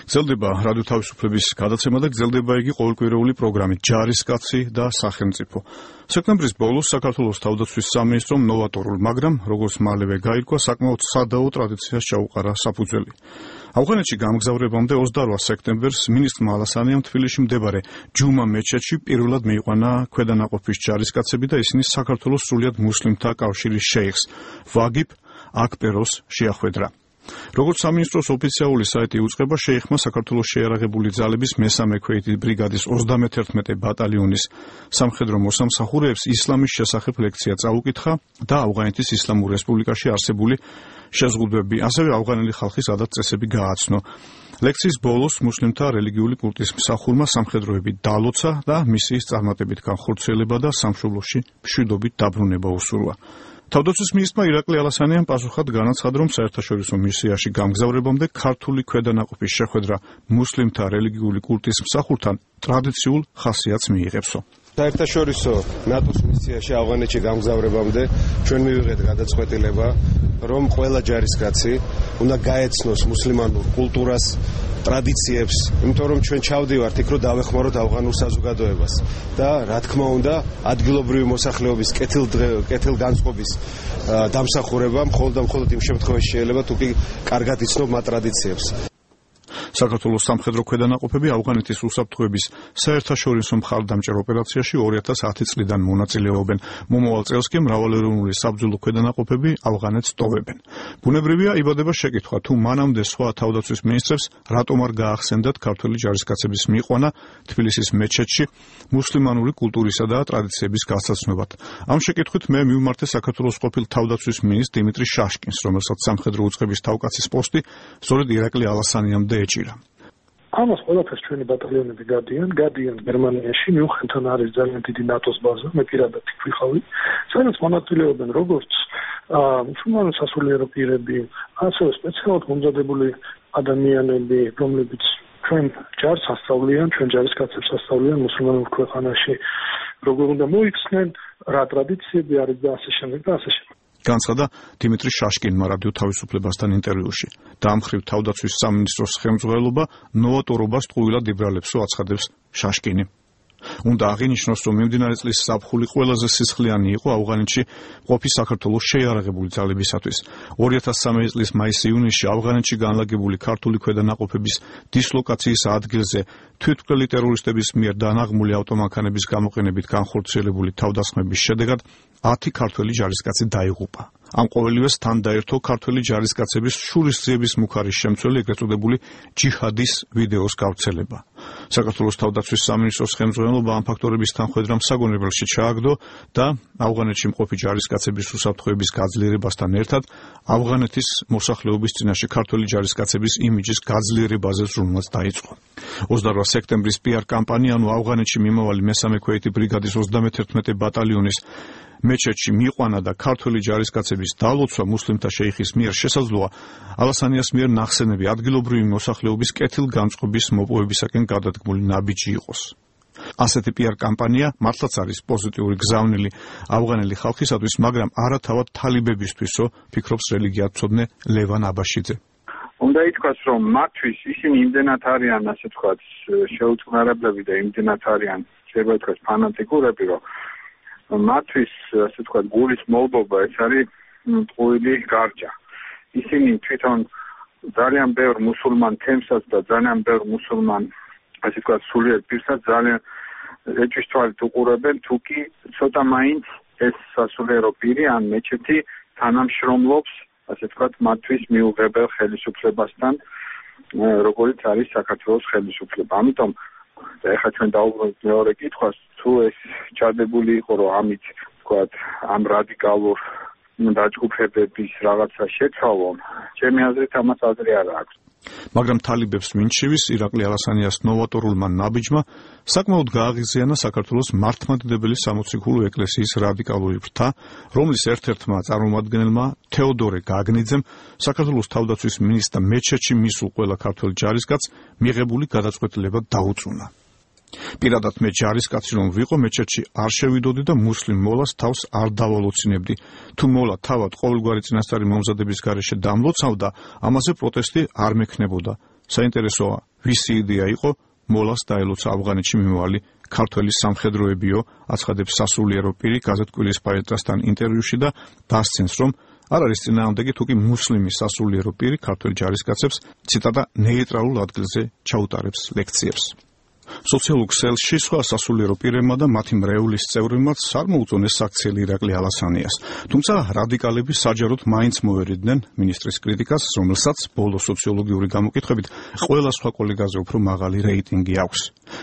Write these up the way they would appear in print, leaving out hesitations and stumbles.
გრძელდება რადიო თავისუფლების გადაცემა და გრძელდება იგი ყოველკვირეული პროგრამით ჯარისკაცი და სახელმწიფო. სექტემბრის ბოლოს საქართველოს თავდაცვის სამინისტრომ ნოვატორულ, მაგრამ როგორც მალევე გაირკვა, საკმაოდ სადაო ტრადიციას ჩაუყარა საფუძველი. ავღანეთში გამგზავრებამდე 28 სექტემბერს მინისტრმა ალასანიამ თბილისში მდებარე ჯუმა მეჩეთში პირველად მიიყვანა ქვედანაყოფის ჯარისკაცები და ისინი საქართველოს სრულიად მუსლიმთა კავშირის შეიხს ვაგიბ აკბეროს შეახვედრა. როგორც სამინისტროს ოფიციალური საიტი უწყება, შეიხმა საქართველოს შეიარაღებული ძალების მესამე ქვეითი ბრიგადის 31 ბატალიონის სამხედრო მოსამსახურეებს ისლამის შესახებ ლექცია წაუკითხა და ავღანეთის ისლამურ რესპუბლიკაში არსებული შეზღუდვები, ასევე ავღანელი ხალხის ადათ-წესები გააცნო. ლექციის ბოლოს მუსლიმთა რელიგიური კულტის მსახურმა სამხედროები დალოცა და მისიის წარმატებით განხორციელება და სამშობლოში მშვიდობით დაბრუნება უსურვა. თავდაცვის მინისტრმა ირაკლი ალასანიამ პასუხად განაცხადა, რომ საერთაშორისო მისიაში გამგზავრებამდე ქართული ქვედანაყოფის შეხვედრა მუსლიმთა რელიგიური კულტის მსახურთან ტრადიციულ ხასიათს მიიღებსო. საერთაშორისო ნატოს მისიაში ავღანეთში გამგზავრებამდე ჩვენ მივიღეთ გადაწყვეტილება, რომ ყველა ჯარისკაცი უნდა გაეცნოს მუსლიმანურ კულტურას, ტრადიციებს, იმიტომ რომ ჩვენ ჩავდივართ იქ, რომ დავეხმაროთ ავღანურ საზოგადოებას და რა თქმა უნდა, ადგილობრივი მოსახლეობის კეთილგანწყობის დამსახურება მხოლოდ იმ შემთხვევაში შეიძლება, თუ კი კარგად იცნობ მათ ტრადიციებს. საქართველოს სამხედრო ქვედანაყოფები ავღანეთის უსაფრთხოების საერთაშორისო მხარდამჭერ ოპერაციაში 2010 წლიდან მონაწილეობენ. მომავალ წელს კი მრავალეროვნული საბრძოლო ქვედანაყოფები ავღანეთს ტოვებენ. ბუნებრივია იბადება შეკითხვა, თუ მანამდე სხვა თავდაცვის მინისტრებს რატომ არ გაახსენდათ ქართველი ჯარისკაცების მიიყვანა თბილისის მეჩეთში მუსლიმანური კულტურისა და ტრადიციების გასაცნობად. ამ შეკითხვით მე მივმართე საქართველოს ყოფილ თავდაცვის მინისტრ დიმიტრი შაშკინს, რომელსაც სამხედრო უწყების თავკაცის პოსტი სწორედ ირაკლი ალასანიამდე ეჭირა. ამას ყველაფერს ჩვენი ბატალიონები გადიან გერმანიაში, მიუხედავად არის ძალიან დიდი ნატოს ბაზა, მე პირადად იქ ვიყავი, სადაც მონაწილეობენ როგორც მუსულმანი სასულიერო პირები, ასევე სპეციალურად მომზადებული ადამიანები, რომლებიც ჩვენ ჯარს ასწავლიან, ჩვენ ჯარისკაცებს ასწავლიან მუსულმანურ ქვეყანაში, როგორ უნდა მოიქცნენ, რა ტრადიციები არის და ასე შემდეგ და ასე შემდეგ. განცხადა დიმიტრი შაშკინმა რადიო თავისუფლებასთან ინტერვიუში. დაამხრივ თავდაცვის სამინისტროს ხელმძღვანელობა ნოვატორობას ტყუილად იბრალებსო, აცხადებს შაშკინი. უნდა აღინიშნოს, რომ მიმდინარე წლის ზაფხული ყველაზე სისხლიანი იყო ავღანეთში ყოფი საქართველოს შეიარაღებული ძალებისათვის. 2013 წლის მაის-ივნისში ავღანეთში განლაგებული ქართული ქვედანაყოფების დისლოკაციის ადგილზე თვითმკვლელი ტერორისტების მიერ დანაღმული ავტომანქანების გამოყენებით განხორციელებული თავდასხმების შედეგად 10 ქართველი ჯარისკაცი დაიღუპა. ამ ყოველივეს თან დაერთო ქართველი ჯარისკაცების შურისძიების მუხარის შემცველი ეგრეთ წოდებული ჯიჰადის ვიდეოს გავრცელება. საქართველოს თავდაცვის სამინისტროს ხელმძღვანელობა ამ ფაქტორების თანხმედრამ საგონებელში ჩააგდო და ავღანეთში მყოფი ჯარისკაცების უსაფრთხოების გაძლიერებასთან ერთად ავღანეთის მოსახლეობის წინაშე ქართველი ჯარისკაცების იმიჯის გაძლიერებაზე ზრუნვაც დაიწყო. 28 სექტემბრის PR კამპანია, ანუ ავღანეთში მიმავალი მესამე ქვეითი ბრიგადის 31 ბატალიონის მეჩეთში მიიყვანა და ქართველი ჯარისკაცების დალოცვა მუსლიმთა შეიხის მიერ შესაძლოა ალასანიას მიერ ნახსენები ადგილობრივი მოსახლეობის კეთილგანწყობის მოპოვებისაკენ გადადგმული ნაბიჯი იყოს. ასეთი PR კამპანია მართლაც არის პოზიტიური გზავნილი ავღანელი ხალხისათვის, მაგრამ არა თავად თალიბებისთვისო, ფიქრობს რელიგიათმცოდნე ლევან აბაშიძე. უნდა ითქვას, რომ მათთვის ისინი იმდენად არიან, ასე ვთქვათ, შეუწყნარებლები და იმდენად არიან, შეიძლება ითქვას, ფანატიკურები, რომ მათთვის, ასე ვთქვათ, გულის მოლდობა ეს არის ტყუილი გარჯა. ისინი თვითონ ძალიან ბევრ მუსულმან თემსაც და ძალიან ბევრ მუსულმან, ასე ვთქვათ, სულიერ პირსაც ძალიან ეჭვის თვალით უყურებენ, თუ კი ცოტა მაინც ეს სასულიერო პირი ან მეჩეთი თანამშრომლობს, ასე ვთქვათ, მათთვის მიუღებელ ხელისუფლებასთან, როგორიც არის საქართველოს ხელისუფლება. ამიტომ და ეხლა ჩვენ დავუბრუნდით მეორე კითხვას, თუ ეს ჩადებული იყო, რომ ამით ვთქვათ, ამ რადიკალურ დაჯგუფებების რაღაცა შეცვალონ, ჩემი აზრით ამას აზრი არ აქვს. მაგრამ თალიბებს მინჩივის ირაკლი ალასანიას ნოვატორულმა ნაბიჯმა საკმაოდ გააღიზიანა საქართველოს მართლმადიდებელი სამოციქულო ეკლესიის რადიკალური ფრთა, რომლის ერთ-ერთმა წარმომადგენელმა თეოდორე გაგნიძემ საქართველოს თავდაცვის მინისტრ მეჩეთში მისულ ყველა ქართველ ჯარისკაცს მიღებული გადაწყვეტილება დაუწუნა. პირადად მე ჯარისკაცი რომ ვიყო, მეჩეთში არ შევიდოდი და მუსლიმ მოლას თავს არ დავალოცინებდი. თუ მოლა თავად ყოველგვარი წინასწარი მომზადების გარეშე დამლოცავდა, ამაზე პროტესტი არ მექნებოდა. საინტერესოა, ვისი იდეა იყო მოლას დაელოცა ავღანეთში მიმავალი ქართველი სამხედროებიო, აცხადებს სასულიერო პირი გაზეთ კვირის პაეტრასთან ინტერვიუში და დასცენს, რომ არ არის წინააღმდეგი თუკი მუსლიმი სასულიერო პირი ქართველ ჯარისკაცებს ციტატა ნეიტრალურ ადგილზე ჩაუტარებს ლექციებს. სოციალურ ქსელში სხვა სასულიერო პირებმა და მათი მრევლის წევრებმაც არ მოუწონეს საქციელი ირაკლი ალასანიას, თუმცა რადიკალები საჯაროდ მაინც მოერიდნენ მინისტრის კრიტიკას, რომელსაც ბოლო სოციოლოგიური გამოკითხვებით ყველა სხვა კოლეგაზე უფრო მაღალი რეიტინგი აქვს.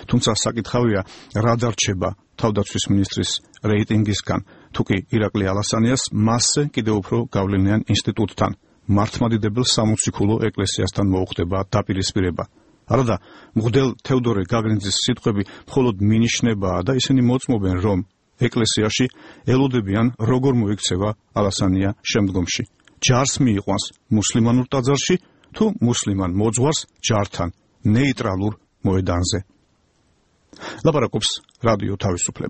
თუმცა საკითხავია, რა დარჩება თავდაცვის მინისტრის რეიტინგისგან, თუკი ირაკლი ალასანიას მასზე კიდევ უფრო გავლენიან ინსტიტუტთან, მართლმადიდებელ სამოციქულო ეკლესიასთან მოუხდება დაპირისპირება. არადა მღვდელ თევდორე გაგრინძის სიტყვები მხოლოდ მინიშნებაა და ისინი მოწმობენ, რომ ეკლესიაში ელოდებიან როგორ მოიქცევა ალასანია შემდგომში. ჯარს მიიყვანს მუსლიმანურ ტაძარში თუ მუსლიმან მოძღვარს ჯართან ნეიტრალურ მოედანზე. ლაპარაკობს რადიო თავისუფლება.